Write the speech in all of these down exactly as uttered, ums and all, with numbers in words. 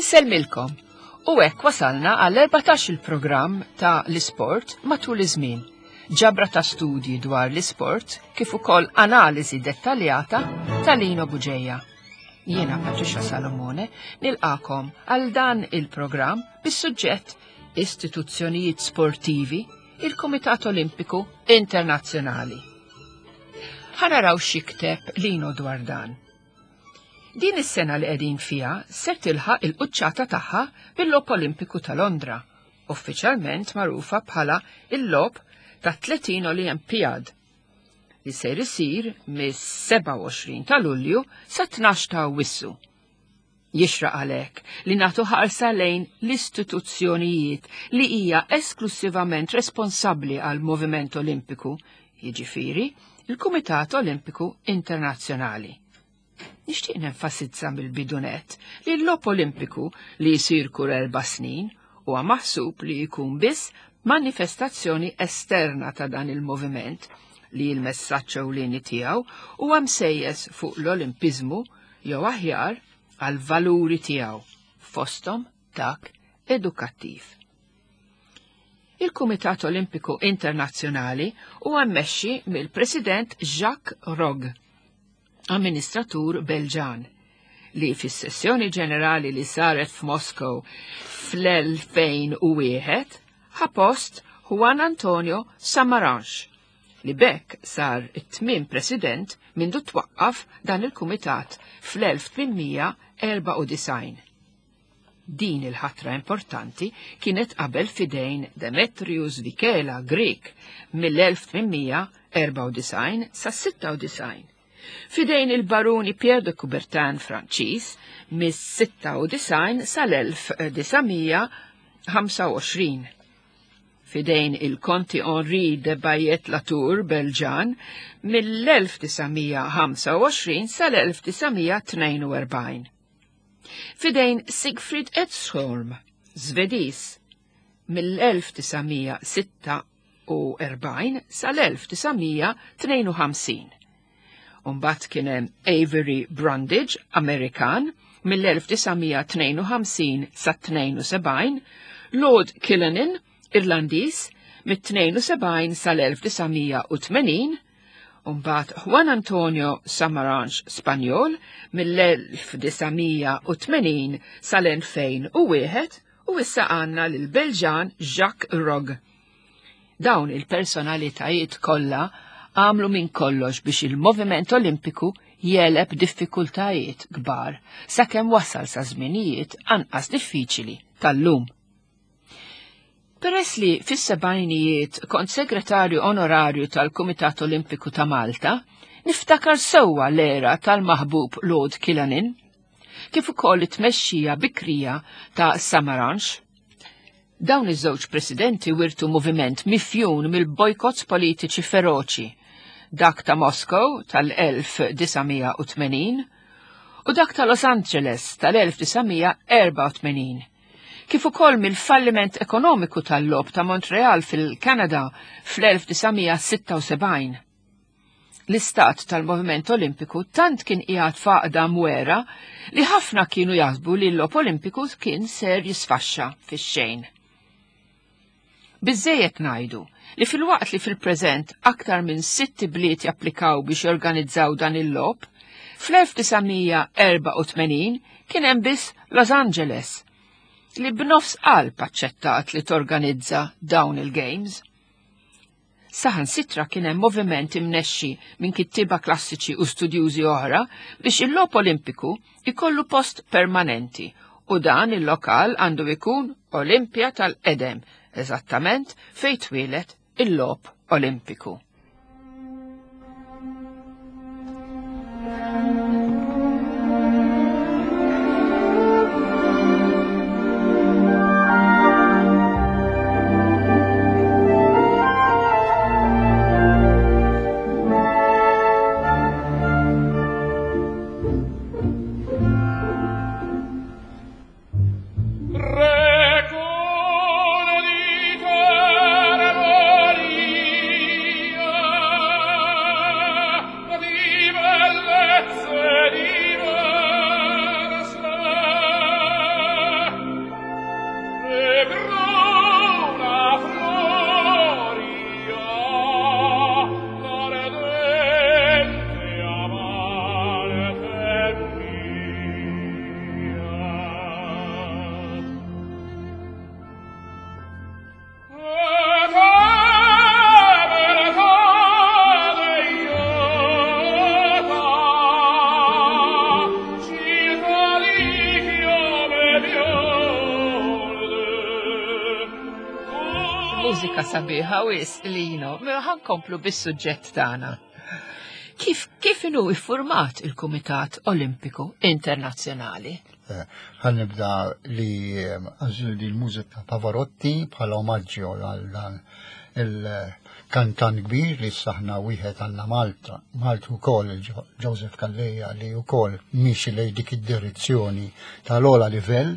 Insellmilkom u hekk wasalna għall erbatax il-programm ta' l-isport matul iż-żmien. Ġabra ta' studji dwar l-isport kif ukoll analiżi dettaljata ta' Lino Bugeja. Jiena Patricia Salomone nilqakom għal dan il-programm bis-suġġett Istituzzjonijiet Sportivi, il-Kumitat Olimpiku Internazzjonali. Ħa naraw x'jikteb Lino dwar dan. Din is-sena li qegħdin fiha ser tilħaq il-quċċata tagħha bil-Logħob Olimpiku ta' Londra, uffiċjalment magħrufa bħala il-Logħob ta' tletin Olimpijad, li ser isir mis-sebgħa u għoxrin ta' Lulju sa tnax ta' Awwissu. Jixraq għalhekk li nagħtu ħarsa lejn l-istituzzjonijiet li hija esklusivament responsabbli għal moviment Olimpiku, jiġifieri il-Kumitat Olimpiku Internazzjonali. Nixtieq nenfasizza mill-bidunet li l-Logħob Olimpiku li jsir kull erba' snin huwa maħsub li jkun biss manifestazzjoni esterna ta' dan il-moviment li l-messaġġ ewlieni tiegħu huwa msejjes fuq l-Olimpiżmu jew aħjar għal valuri tiegħu, fosthom dak edukattiv. Il-Kumitat Olimpiku Internazzjonali huwa mmexxi mill-President Jacques Rogge, amministratur Belġan, li fis-sessjoni ġenerali li saret f'Moskow fl-elfejn u wieħed ħa post Juan Antonio Samaranch, li bekk sar it-tmien president mindu twaqqaf dan il-kumitat fl-elf tmien erba' u disgħin. Din il-ħatra importanti kienet qabel fidejn Demetrius Vikela Grek mill-elf tmien erba' u disgħin sa sitta u disgħin. Fidejn il-baruni Pierre de Coubertin Franċiż mis-sitta u disgħin sal-elf disa' mija ħamsa u għoxrin. Fidejn il-Konti Henri de Bayet Latour Belġan mill-elf disa' mija ħamsa u għoxrin sal-elf disa' mija tnejn u erbgħin. Fidejn Siegfried Edström, Svediż, mill-elf disa' mija sitta u erbgħin sal-elf disa' mija tnejn u ħamsin. Umbagħad kien hemm Avery Brundage, Amerikan, mill-elf disa' mija tnejn u ħamsin sa tnejn u sebgħin, Lord Killanin, Irlandiż, mit-tnejn u sebgħin sal-elf disa' mija u tmenin, umbagħad Juan Antonio Samaranch, Spanjol, mill-elf disa' mija u tmenin sal-elfejn u wieħed, u issa għandna lil Belġan Jacques Rogge. Dawn il-personalitajiet kollha għamlu minn kollox biex il-moviment Olimpiku jeleb diffikultajiet kbar sakemm wasal sa żminijiet anqas diffiċili tal-lum. Peress li fis-sebgħinijiet kont segretarju onorarju tal-Kumitat Olimpiku ta' Malta, niftakar sewwa l-era tal-maħbub Lord Killanin, kif ukoll it-tmexxija bikrija ta' Samaranch. Dawn iż-żewġ presidenti wirtu moviment mifjun mill-bojkotts politiċi feroċi, dak ta' Moskow tal-elf disa' mija u tmenin u dak ta' Los Angeles tal-elf disa' mija erba' u tmenin, kif ukoll mill-falliment ekonomiku tal-logħob ta' Montreal fil-Kanada fl-elf disa' mija sitta u sebgħin. L-istat tal-Moviment Olimpiku tant kien qiegħed f'għaqda mwera li ħafna kienu jaħsbu li l-logħob Olimpiku kien ser jisfaxxa fix-xejn. Biżżejjed ngħidu li fil-waqt li fil-preżent aktar minn sitt bliet japplikaw biex jorganizzaw dan il-logħob, fl-elf disa' mija erba' u tmenin kien hemm biss Los Angeles li b'nofs qalb aċċettat li torganizza dawn il-games. Saħansitra kien hemm moviment imnexxi minn kittieba klassiċi u studjużi oħra biex il-logħob Olimpiku ikollu post permanenti u dan il-lokal għandu jkun Olimpja tal-Qedem, eżattament fejn twieled il-logħob Olimpiku. Recuerdo di Mużika sabiħa wis Lino, mela ħa nkomplu bis-suġġett tagħna. Kif kif inhu iffurmat il-Kumitat Olimpiku Internazzjonali? Eh, ħa nibda li għażlu li l-mużika Pavarotti bħala omaġġju għal dan il-kantant kbir li saħna wieħed għandna Malta, Malta wkoll Joseph Calleja li wkoll miexi lejn dik id-direzzjoni tal-ogħla livell,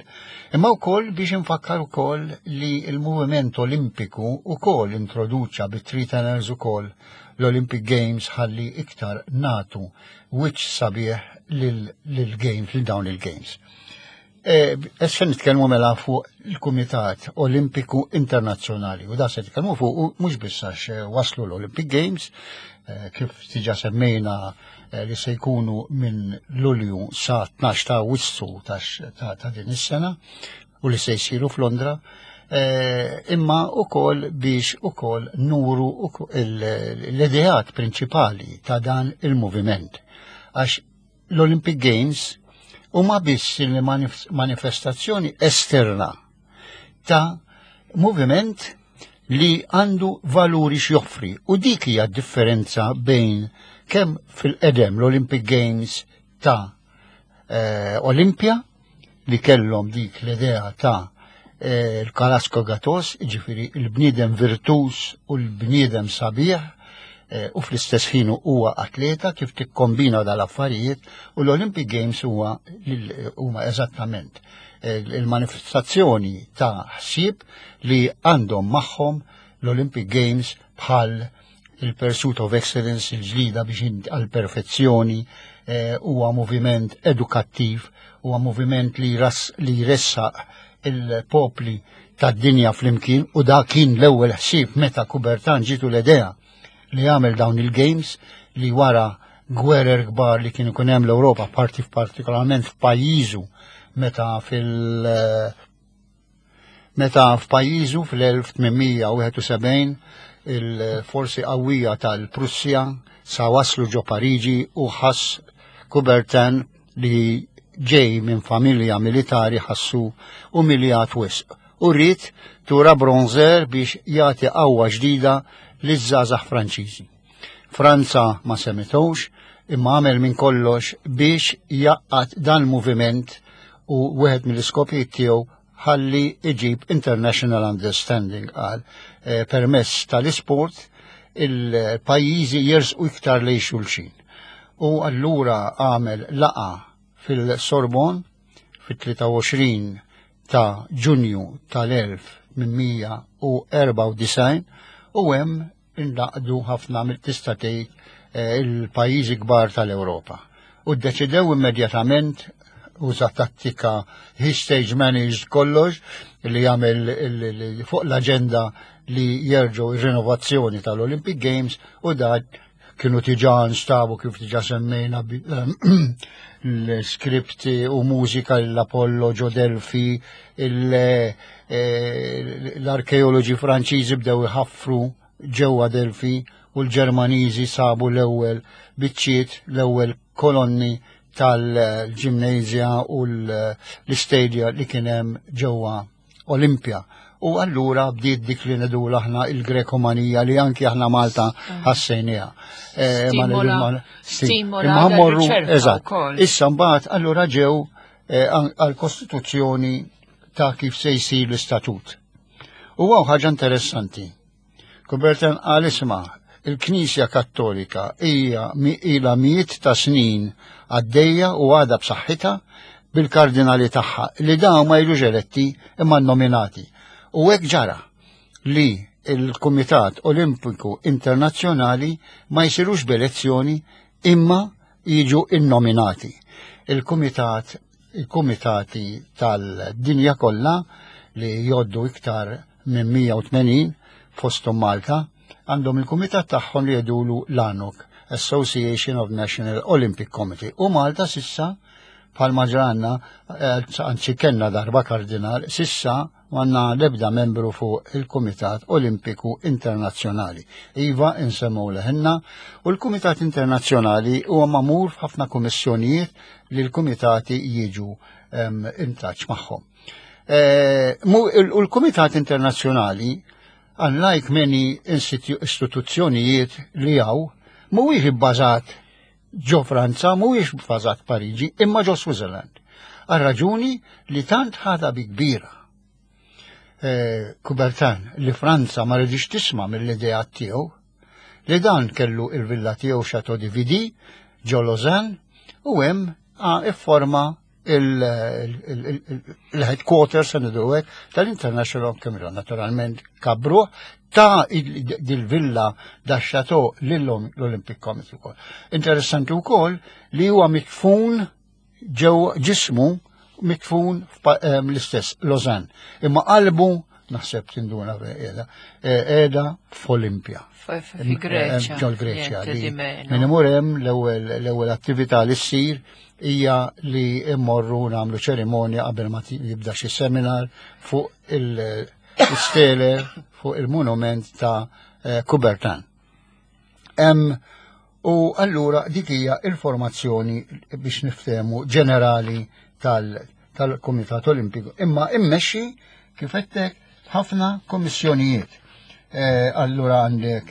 imma wkoll biex infakkar ukoll li l-moviment Olimpiku wkoll introduċa bit-Three Tenors ukoll l-Olympic Games ħalli iktar nagħtu wiċċ sabiħ lil-games, lil dawn il-games. Issa nitkellmu mela fuq il-Kumitat Olimpiku Internazzjonali u da se nitkellmu fuq u mhux biss għax eh, waslu l-Olympic Games, eh, kif diġà semmejna eh, li se jkunu minn Lulju sa tnax ta' Awwissu ta' ta' din is-sena u li se jsiru f'Londra, eh, imma ukoll biex ukoll nuru l-ideat prinċipali ta' dan il-moviment. Għax l-Olympic Games huma biss il-manifestazzjoni esterna ta' moviment li għandu valuri x'joffri u dik hija differenza bejn kemm fil-qedem l-Olympic Games ta' eh, Olimpja li kellhom dik l-idea ta' eh, il-kalos agatos, ġifieri il-bniedem virtuż u l-bniedem sabiħ, eh, u fl-istess ħin huwa atleta kif tikkombina dal-affarijiet u l-Olympic Games huwa huma eżattament eh, il-manifestazzjoni ta' ħsieb li għandhom magħhom l-Olympic Games bħal il-Pursuit of Excellence, il-ġlida biex għal-perfezzjoni, huwa moviment edukattiv, huwa moviment li ras li jressaq il-popli tad-dinja flimkien u da kien l-ewwel ħsieb meta Coubertin ġitu l-idea li jagħmel dawn il-games li wara gwerer kbar li kienu kun hemm l-Ewropa, parti partikolarment f'pajjiżu meta fil meta f'pajjiżu fl-elf tmien mija wieħed u sebgħin il-forsi qawwija tal-Prussja sa waslu ġo Pariġi u ħass Coubertin li ġej minn familja militari ħassu umiljat wisq. U ried tura bronzer biex jagħti qawwa ġdida liż-żgħażagħ Franċiżi. Franza ma semitux, imma għamel minn kollox biex jgħaqqad dan il-moviment u wieħed mill-iskopijiet tiegħu ħalli iġib international understanding għal eh, permess tal-isport il-pajjiżi jersqu iktar lejn xulxin. U allura għamel laqgħa fil-Sorbonne fit-tlieta u għoxrin ta' Ġunju tal-elf tmien mija erbgħa u disgħin u hemm ingħaqdu ħafna mill-tista' tgħid eh, il-pajjiżi kbar tal-Ewropa. U ddeċidew immedjatament, uża tattika, he stage managed kollox li jagħmel fuq l-aġenda li jerġgħu ir-rinnovazzjoni tal-Olympic Games u da kienu diġà nstabu kif diġà semmejna l-skripti u mużika l-Apollo ġo Delfi, eh, l-arkeoloġi Franċiżi bdew iħaffru ġewwa Delfi u l-Ġermaniżi sabu l-ewwel biċċiet, l-ewwel kolonni tal-ġimnezja u l-istadia li kien hemm ġewwa Olimpja. U allura bdiet dik li ngħidu aħna il-Grekomanija li anki aħna Malta ah. ħassejniha. Eh, Stimola morru, eżatt. Issa mbagħad allura ġew eh, għal-Kostituzzjoni ta' kif se jsir l-istatut. U hawn ħaġa interessanti. Coubertin qal, "Isma', il-Knisja Kattolika hija ila mijiet ta' snin għaddejja u għadha b'saħħitha bil-kardinali tagħha li dawn ma jiġux eletti imma nominati." U hekk ġara li il-Kumitat Olimpiku Internazzjonali ma jsirux b'elezzjoni imma jiġu innominati. Il-Kumitat il-Kumitati tal-dinja kollha li li jgħoddu iktar minn mija u tmenin, fosthom Malta, għandhom il-kumitat tagħhom li jgħidulu l-ANOC, Association of National Olympic Committee. U Malta s'issa, bħal ġranna, eh, anzi kellna darba kardinal, s'issa m'għandna lebda membru fuq il-Kumitat Olimpiku Internazzjonali. Iva, insemmu leħenna, u l-Kumitat Internazzjonali huwa magħmul f'ħafna kummissjonijiet li l-kumitati jiġu in touch magħhom. Eh, u l-Kumitat Internazzjonali, unlike many istituzzjonijiet li hawn, mhuwiex ibbażat ġo Franza, mhuwiex bbażat Pariġi, imma ġo Switzerland. Għal raġuni li tant ħadha bi kbira eh, Coubertin li Franza ma ridix tisma' mill-idea tiegħu, li dan kellu il-villa tiegħu Chateau de Vidy ġo Lausanne u hemm ifforma il-headquarters tal-International Committee. Naturalment kabru ta' dil-villa da chateau l-Olympic Committee wkoll. Interessanti wkoll li huwa mitfun ġew, ġismu mitfun l-istess Lausanne. Imma qalbu, naħseb tinduna qiegħda, qiegħda f'Olimpja. Fi Greċja. Ġol Greċja. Min imur hemm, l-ewwel attività li ssir hija li immorru nagħmlu ċerimonja qabel ma jibda xi seminar fuq il-stele, fuq il-monument ta' eh, Coubertin. U allura dik hija il-formazzjoni biex niftehmu ġenerali tal-Kumitat Olimpiku. Imma immexxi, kif għedtlek, ħafna kommissjonijiet. Eh, allura għandek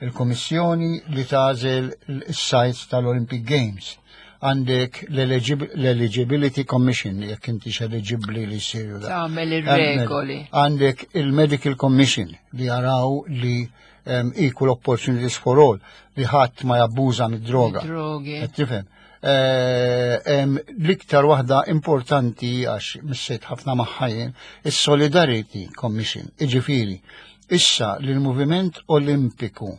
il-kommissjoni li tagħżel il-sites tal-Olympic Games. Għandek l-Eligibility Commission, jekk inti eligibli li jsiru da. Tagħmel ir-regoli. Għandek il-Medical Commission li jaraw li um, equal opportunities for all, li ħadd ma jabbuża mid-droga. Drogi. Qed tifhem? Eh, em, L-iktar waħda importanti, għax missejt ħafna magħha jien, is-Solidarity Commission. Iġifieri, issa li l-Moviment Olimpiku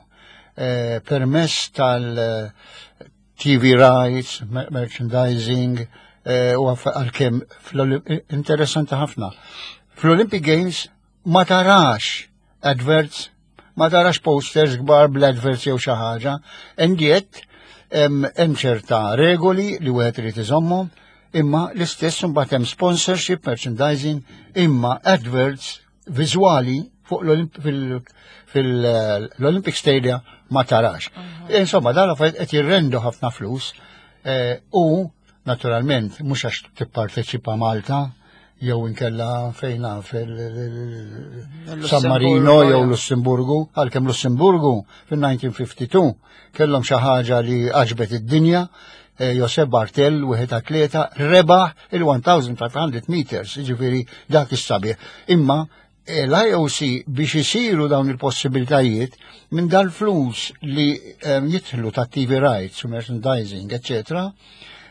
eh, permess tal-T V rights, mer- merchandising, eh, u għalkemm interessanti ħafna. Fl-Olympic Games ma tarax adverts, ma tarax posters kbar bl-adverts jew xi ħaġa, and yet hemm hemm ċerta regoli li wieħed irid iżommhom, imma l-istess imbagħad hemm sponsorship, merchandising, imma adverts viżwali fuq fil-Olympic Stadium ma tarax. Insomma, dan affarijiet qed jirrendu ħafna flus eh, u naturalment mhux għax tipparteċipa Malta jew inkella fejna fil-San Marino jew Lussemburgu, għalkemm Lussemburgu fil-elf disa' mija u tnejn u ħamsin kellhom xi ħaġa li għaġbet id-dinja, eh, Josep Bartel, wieħed atleta, rebaħ il-elf u ħames mija meters, ġifieri dak is-sabiħ. Imma eh, l-I O C biex isiru dawn il-possibilitajiet minn dal-flus li em, jidħlu ta' T V rights u merchandising, eccetera,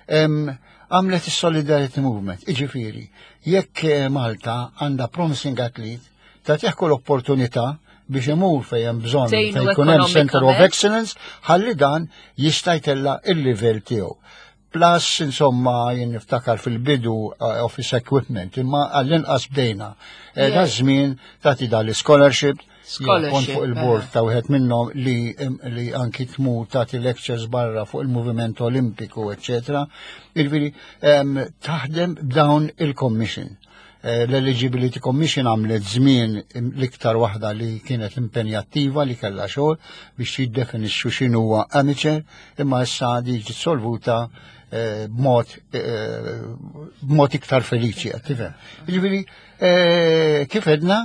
em, għamlet il-Solidarity Movement. Iġifieri, jekk eh, Malta għandha promising athlete, tagħtih kull opportunità biex imur fejn hemm bżonn, tgħinu fejn jkun hemm Center of ekonomikament. Excellence, ħalli dan jista' jtella il-livell tiegħu. Plus, insomma, jien niftakar fil-bidu uh, office equipment, imma għall-inqas bdejna. Eh, Da żmien tagħti dal-scholarship, Scholarship, kont fuq il-board eh. ta' wieħed minnhom li, li anki tmur tagħti lectures barra fuq il-moviment olimpiku, eccetera. Jiġifieri, em, taħdem b'dawn il-commission. Eh, L-Eligibility Commission għamlet żmien l-iktar waħda li kienet impenjattiva, li kellha xogħol biex jiddefinixxu x'inhu huwa amateur, imma issa di ġiet solvuta eh, b'mod eh, b'mod iktar feliċi, qed tifhem. Jiġifieri, eh, kif edna,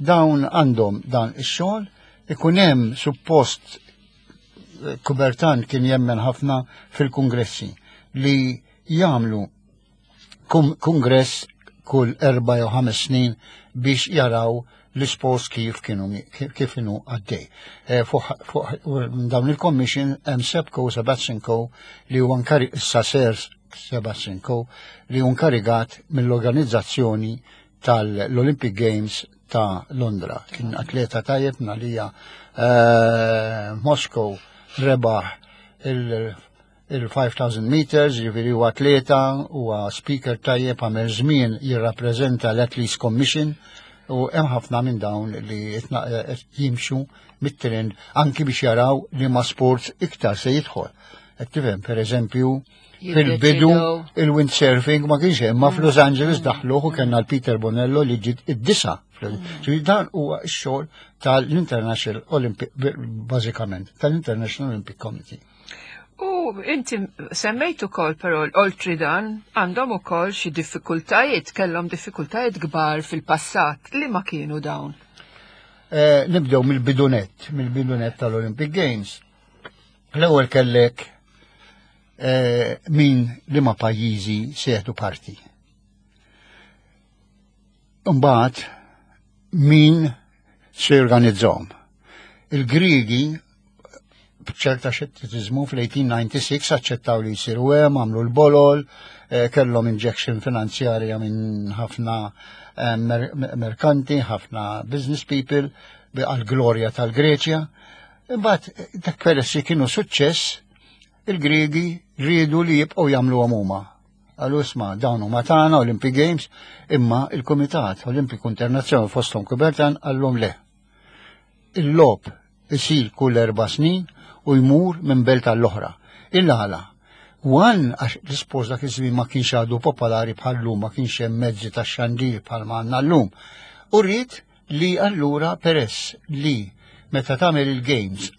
dawn għandhom dan ix-xogħol, ikun hemm suppost eh, Coubertin kien jemmen ħafna fil-kongressi li jagħmlu kum- kongress kull erba' jew ħames snin biex jaraw l-isports kif kienu kif kienu għaddej. Eh, Fuq fuq dawn il-commission hemm Seb Coe, Sebastian Coe, li huwa nkari issa Sir Sebastian Coe, li hu nkarigat mill-organizzazzjoni tal-Olympic Games ta' Londra. Kien atleta tajjeb nalija eh, Moscow rebaħ il- il-elf u ħames mija meters, ġifieri huwa atleta, huwa speaker tajjeb, għamel żmien jirrappreżenta l-Athletes Commission. U hemm ħafna minn dawn li qed jimxu mit-trend anki biex jaraw li ma sports iktar se jidħol. Qed tifhem, pereżempju, fil-bidu il-windsurfing ma kienx hemm, ma f'Los Angeles daħluh u kellna l-Peter Bonello li ġiet id-disa'. Ġifieri dan huwa x-xogħol tal-International Olympic, bażikament, tal-International Olympic Committee. U inti semmejt ukoll, però oltri dan għandhom ukoll xi diffikultajiet, kellhom diffikultajiet kbar fil-passat. Li ma kienu dawn? Eh, nibdew mill-bidunet, mill-bidunet tal-Olympic Games. L-ewwel kellek eh, min li ma pajjiżi se jieħdu parti. Mbagħad min se jorganizzahom. Il-Griegi b'ċerta xettiċiżmu fl-elf disa' mija u disgħa u disgħin aċċettaw li jsiru hemm, għamlu l-bolol, eh, kellhom injection finanzjarja minn ħafna eh, merkanti, ħafna business people għal-glorja tal-Greċja. Imbagħad dak peress li kienu suċċess, il-Griegi riedu li jibqgħu jagħmlu huma. Qalu, "Isma', dawn huma tagħna Olympic Games," imma il-Kumitat Olimpiku Internazzjonali, fosthom Coubertin, qallhom le. Il-logħob isir kull erba' snin u jmur minn belt għall-oħra. Il-għala. One, għax l-isport dak iż-żmien ma kienx għadu popolari bħal-lum, ma kienx hemm mezzi ta' xandir bħal ma għandna llum. U rrid li allura peress li meta tagħmel il-games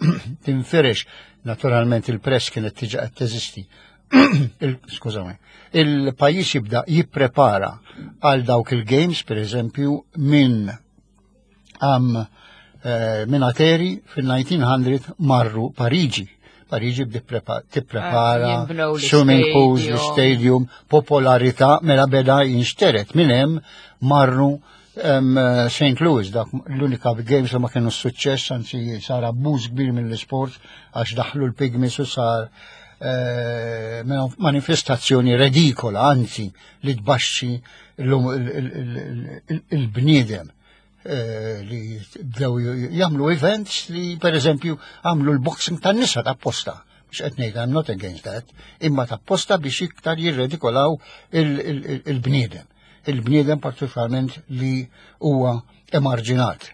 tinfirex, naturalment il-press kienet tiġa qed teżisti. Skużawni. Il-pajjiż jibda jipprepara għal dawk il-games, per eżempju, minn għam eh, minn Ateni fil-elf disa' mija marru Pariġi. Pariġi bdi tipprepara ah, jinbnew swimming pools, l-stadium. L-stadium, popolarità, mela beda jinxteret. Minn hemm marru em, Saint Louis, dak l-unika games li ma kienu suċċess, anzi sar abbuż kbir mill-sport għax daħlu l-pygmies u sar eh, manifestazzjoni redikola, anzi li tbaxxi l- il- il- il- il-bniedem eh, li bdew jagħmlu events li, per eżempju, għamlu l-boxing tan-nisa ta' apposta. Mhux qed ngħid, I'm not against that, imma ta' apposta biex iktar jirredikolaw il- il- il-bniedem. Il-bniedem partikolarment li huwa emarġinat.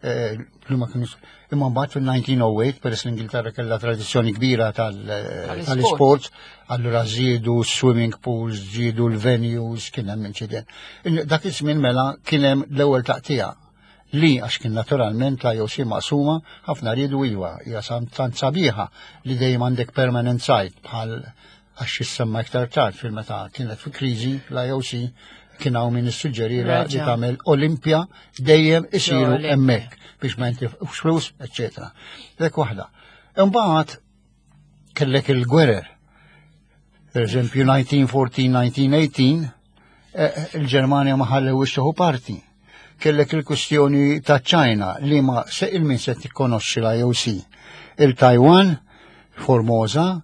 Eh, li ma kienu. Imma mbagħad fil-elf disa' mija u tmienja, peress l-Ingilterra kellha tradizzjoni kbira tal- Tal-isport. tal-isport, allura żiedu swimming pools, żiedu l-venues, kien hemm inċident. In- Dak iż-żmien mela kien hemm l-ewwel taqtija li għax kien naturalment la I O C maqsuma, ħafna riedu, iva, hija sam- tant sabiħa li dejjem għandek permanent site, bħal għax jissemma iktar tard fil-meta kienet fi kriżi l-I O C, kien hawn min issuġġerira li Reġa'. tagħmel Olimpja dejjem isiru Olimpja. hemmhekk biex ma jintilfux flus, eċċetera. Dik waħda. Imbagħad kellek il-gwerer. Per eżempju, elf disa' mija u erbatax-elf disa' mija u tmintax, eh, il-Ġermanja ma ħallewx tieħu parti. Kellek il-kwistjoni ta' China li ma se il-min se tikkonoxxi l-I O C. Il-Taiwan, Formosa,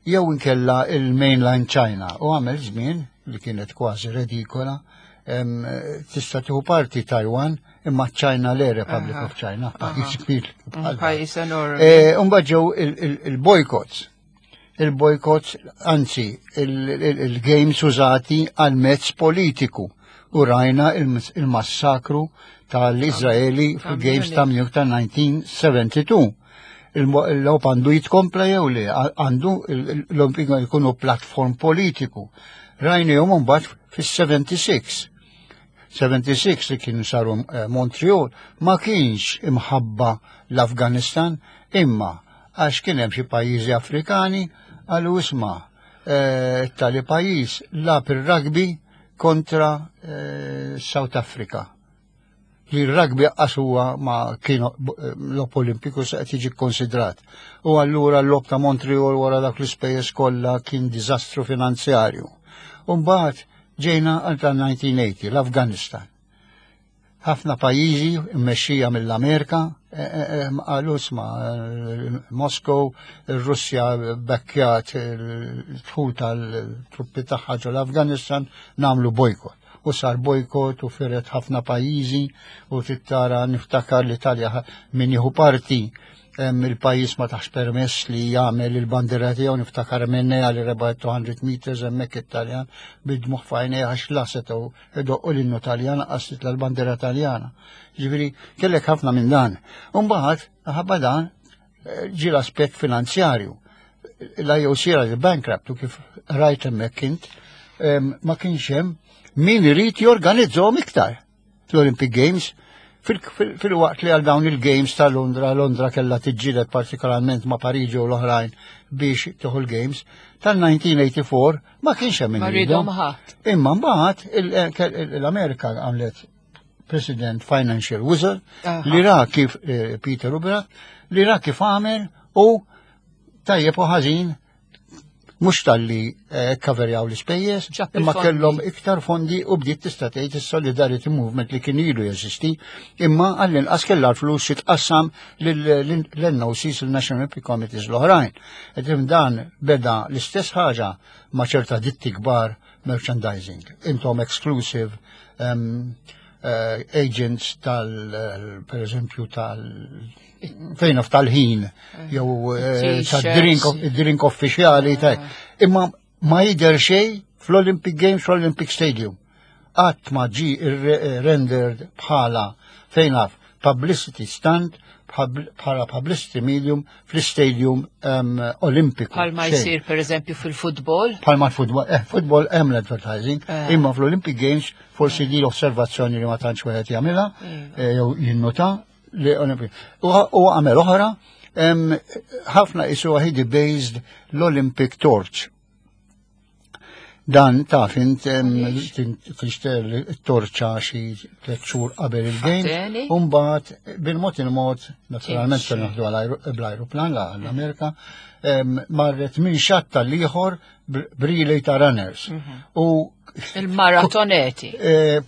jew inkella il-mainland China. U għamel żmien li kienet kważi redikola, em, tista' tieħu parti Taiwan imma China le, Republic Aha. of China, pajjiż kbir bħal. Pajjiż enormi. Eh, Umbagħad ġew il- il- il-boycotts. Il-boycotts, anzi, il- il- il-games użati għal mezz politiku. U rajna il- il-massakru tal-Izraeli fil-games ta' Munich ta' elf disa' mija u tnejn u sebgħin. Il-logħob għandu jitkompla jew le, għandu l-Olimpika jkunu platform politiku. Rajna jom mbagħad fis-sebgħa u sebgħin. sebgħa u sebgħin li kienu saru eh, Montreal ma kienx imħabba l-Afganistan, imma għax kien hemm xi pajjiżi Afrikani qalu, "Isma', eh, tali pajjiż lagħab ir-rugby kontra eh, South Africa." Li r-rugby qas huwa ma kienu logħob olimpiku se qed jiġi konsidrat. U allura l-logħob ta' Montreal wara dak l-ispejjeż kollha kien diżastru finanzjarju. U mbagħad ġejna għal tal-elf disa' mija u tmeninja, l-Afganistan. Ħafna pajjiżi mmexxija mill-Amerika eh, eh, eh, qalu, "Isma', Moskow, ir-Russja bekkjat il-dħul tal-truppi tagħha ġol Afganistan, nagħmlu bojkot." U sar bojkot u firet ħafna pajjiżi u tittara niftakar l-Italja min jieħu parti Il-pajjiż ma tax permess li jagħmel il-bandiera tiegħu. Niftakar minni għal rebaħ two hundred meters hemmhekk Italjan bid-dmugħ f'għajnejh għax la setgħu idoqqu l-innu Taljan, qastit l-bandiera Taljana. Ġifieri kellek ħafna minn dan. Umbagħad ħabba dan eh, ġi l-aspett finanzjarju. L-I O C era bankrupt u kif rajt hemmhekk int ma kienx hemm min irid jorganizzahom iktar l-Olympic Games fil-waqt li għal dawn il-Games ta' Londra, Londra kella tiġġieled partikolarment ma' Pariġi u l-oħrajn biex tieħu l-Games, tal-elf disa' mija u erbgħa u tmenin ma kienx hemm min ridhom. Imma mbagħad l-Amerika għamlet President Financial Wizard li ra kif eh, Peter Umbrecht li ra kif għamel u tajjeb u ħażin mhux talli eh, coverjaw l-ispejjeż, imma kellhom iktar fondi u bdiet tista' tgħid is-Solidarity Movement li kien ilu jeżisti, imma għall-inqas kellha l-flus jitqassam lill-N O Cs, il-National Olympic Committees l-oħrajn. Qed dan beda l-istess ħaġa ma' ċerta ditti kbar merchandising. Intom exclusive um, uh, agents tal, per eżempju, tal fejn tal-ħin, jew eh, tad-drink drink uffiċjali ta' imma ma jidher xejn fl-Olympic Games, fl-Olympic Stadium. Qatt ma ġi rendered bħala fejn publicity stunt, bħala publicity medium fl-stadium um, olimpiku. Bħalma jsir per eżempju fil-futbol? Bħalma l-futbol, eh, futbol hemm l-advertising, eh. imma fl-Olympic Games forsi di l-osservazzjoni li ma tantx wieħed jagħmilha, eh, jew jinnota li Olympic. U għamel oħra, ħafna isu he based l-Olympic Torch. Dan taf int tixter it-torċa xi tliet xhur qabel il-game. U mbagħad bil-mod il-mod, naturalment se naħdu bl-ajruplan l-Amerika, marret minn xatt għall-ieħor b'relay ta' runners. Mhm. U il-maratoneti. Eh,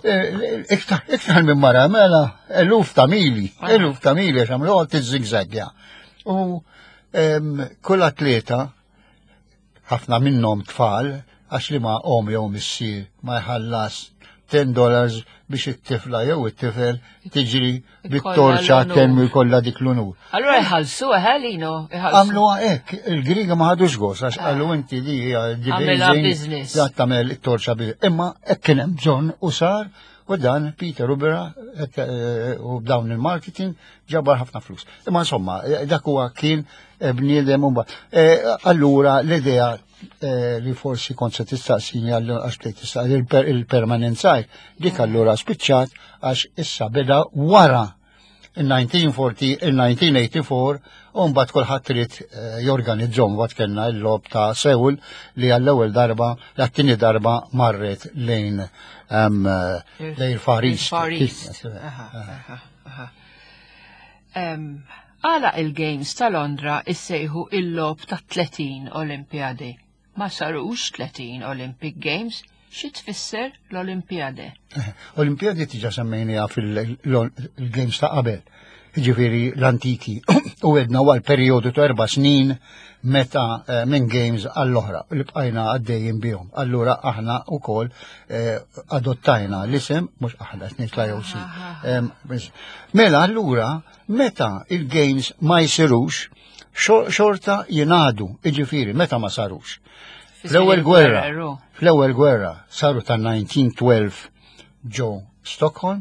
eh, iktar iktar minn mara, mela, eluf ta' mili, eluf ta' mili, għamlu għal tizzigzagja. U kull atleta, ħafna minnhom tfal, għax li ma om jew missier ma jħallas ten dollars biex it-tifla jew it-tifel tiġri bit-torċa temmu jkollha dik l-unur. Allura jħallsu ħalino. Għamlu hekk, il-Griga ma ħadux gost għax qalu inti di hija business. Tagħmel it-torċa bi. Imma hekk kien hemm bżonn u sar u dan Peter Ubera eh, u b'dawn il-marketing ġabar ħafna flus. Imma insomma, eh, dak huwa kien eh, bniedem u allura l-idea li forsi kont se tistaqsini għax bdejt tistaqsi il-permanenza dik allura spiċċat għax issa beda wara il-elf disa' mija u erbgħa u tmenin, il-elf disa' mija u erbgħa u tmenin u mbagħad kulħadd irid jorganizzhom waqt kellna l-logħob ta' Seul li għall-ewwel darba, l-tieni darba marret lejn lejn Far East. Far East. Għala il-Games ta' Londra issejħu il-logħob ta' tletin Olimpjadi? Ma sarux tletin Olympic Games, xi tfisser l-Olimpjade? Olimpjadi diġà semmejniha fil-Games ta' qabel, ġifieri l-antiki, u għedna għal periodu ta' erba' snin meta eh, minn Games għall-oħra, li bqajna għaddejjin bihom. Allura aħna u koll eh, adottajna l-isem, mhux aħna, snit l-I O C. Mela allura, meta il-Games ma jsirux, xorta jingħadu, iġifieri, meta ma sarux. Fl-ewwel gwerra, fl-ewwel gwerra saru ta' elf disa' mija u tnax ġo Stockholm,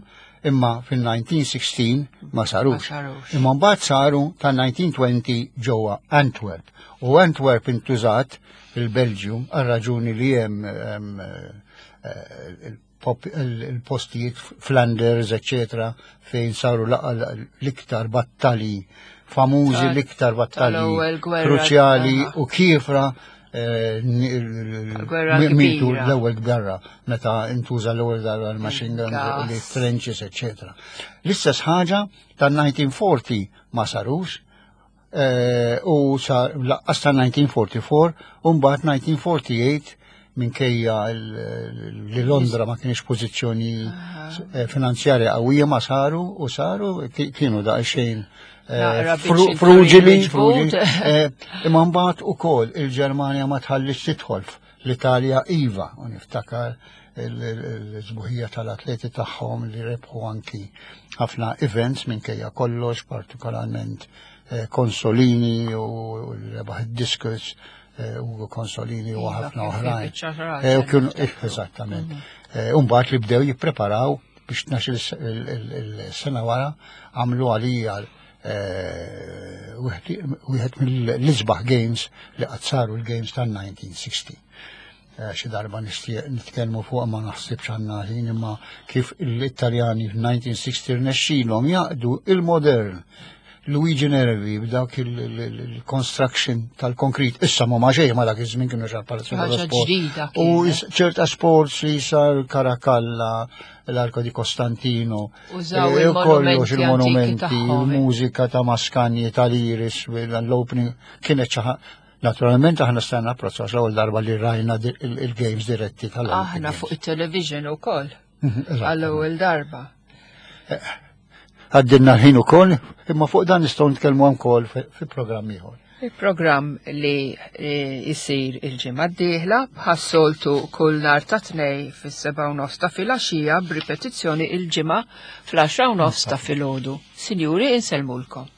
imma fil-elf disa' mija u sittax ma sarux. Imma mbagħad saru ta' elf disa' mija u għoxrin ġewwa Antwerp. U Antwerp intużat il-Belġium għal raġuni li hemm eh, il-postijiet Flanders, eccetera, fejn saru l-iktar battali famużi, l-iktar battali kruċjali u kiefra eh, mitu l-ewwel gwerra meta intuża l-ewwel darba l-machine guns, l-trenches, eccetera. L-istess ħaġa tal-elf disa' mija u erbgħa u erbgħin ma sarux eh, u laqqas tal-elf disa' mija u erbgħa u erbgħin u mbagħad elf disa' mija u erbgħa u tmenin minkejja li Londra ma kienx pożizzjoni eh, finanzjarja qawwija ma saru u saru kienu daqsxejn eh, fruġili, eh, imma mbagħad ukoll il-Ġermanja ma tħallix tidħol, l-Italja iva, u niftakar l-sbuħija tal-atleti tagħhom li rebħu anki ħafna events minkejja kollox, partikolarment eh, Consolini u rebaħ id-discus, eh, Ugo Consolini u Iva, ħafna kien fi oħrajn. biċċa raġel, Eh, u kienu- eh, niftakru. Eżattament. Eh, Umbagħad li bdew jippreparaw biex tnax il-sena wara għamlu għalija eh, wieħed wieħed mill-isbaħ games li qatt saru, l-games tal-elf disa' mija u sittaw. Eh, Xi darba nixtieq nitkellmu fuq, ma naħsibx għandna ħin, imma kif l-Italjani f'elf disa' mija u sittaw rnexxilhom jgħaqqdu il-modern, Luigi Nervi, b'dak il-construction tal-konkrit. Issa ma ma xejn ma dak iż-żmien kienu ġa Palazzo Ħaġa dello Sport. Ġdida U kienet. is- ċerta sports li sar Caracalla, l-Arco di Costantino, Użaw eh, il-monumenti kollox il-monumenti, antiki tagħhom. Il-mużika ta' Mascagni, tal-Iris, l-opening, kienet xi Naturalment aħna stajna apprezzaw l-ewwel darba li rajna di- il- il-games diretti tal Aħna fuq il-television ukoll Mhm, eżatt. għall-ewwel darba. Għaddinna l-ħin ukoll, imma fuq dan nistgħu nitkellmu wkoll fi fi programm ieħor. Il-programm li eh, jisir il-ġimgħa d-dieħla bħas-soltu kull nhar ta' Tnejn fis-seba' u nofs ta' filgħaxija, b'ripetizzjoni il-ġimgħa fl-għaxra u nofs ta' filgħodu. Sinjuri, insellmulkom.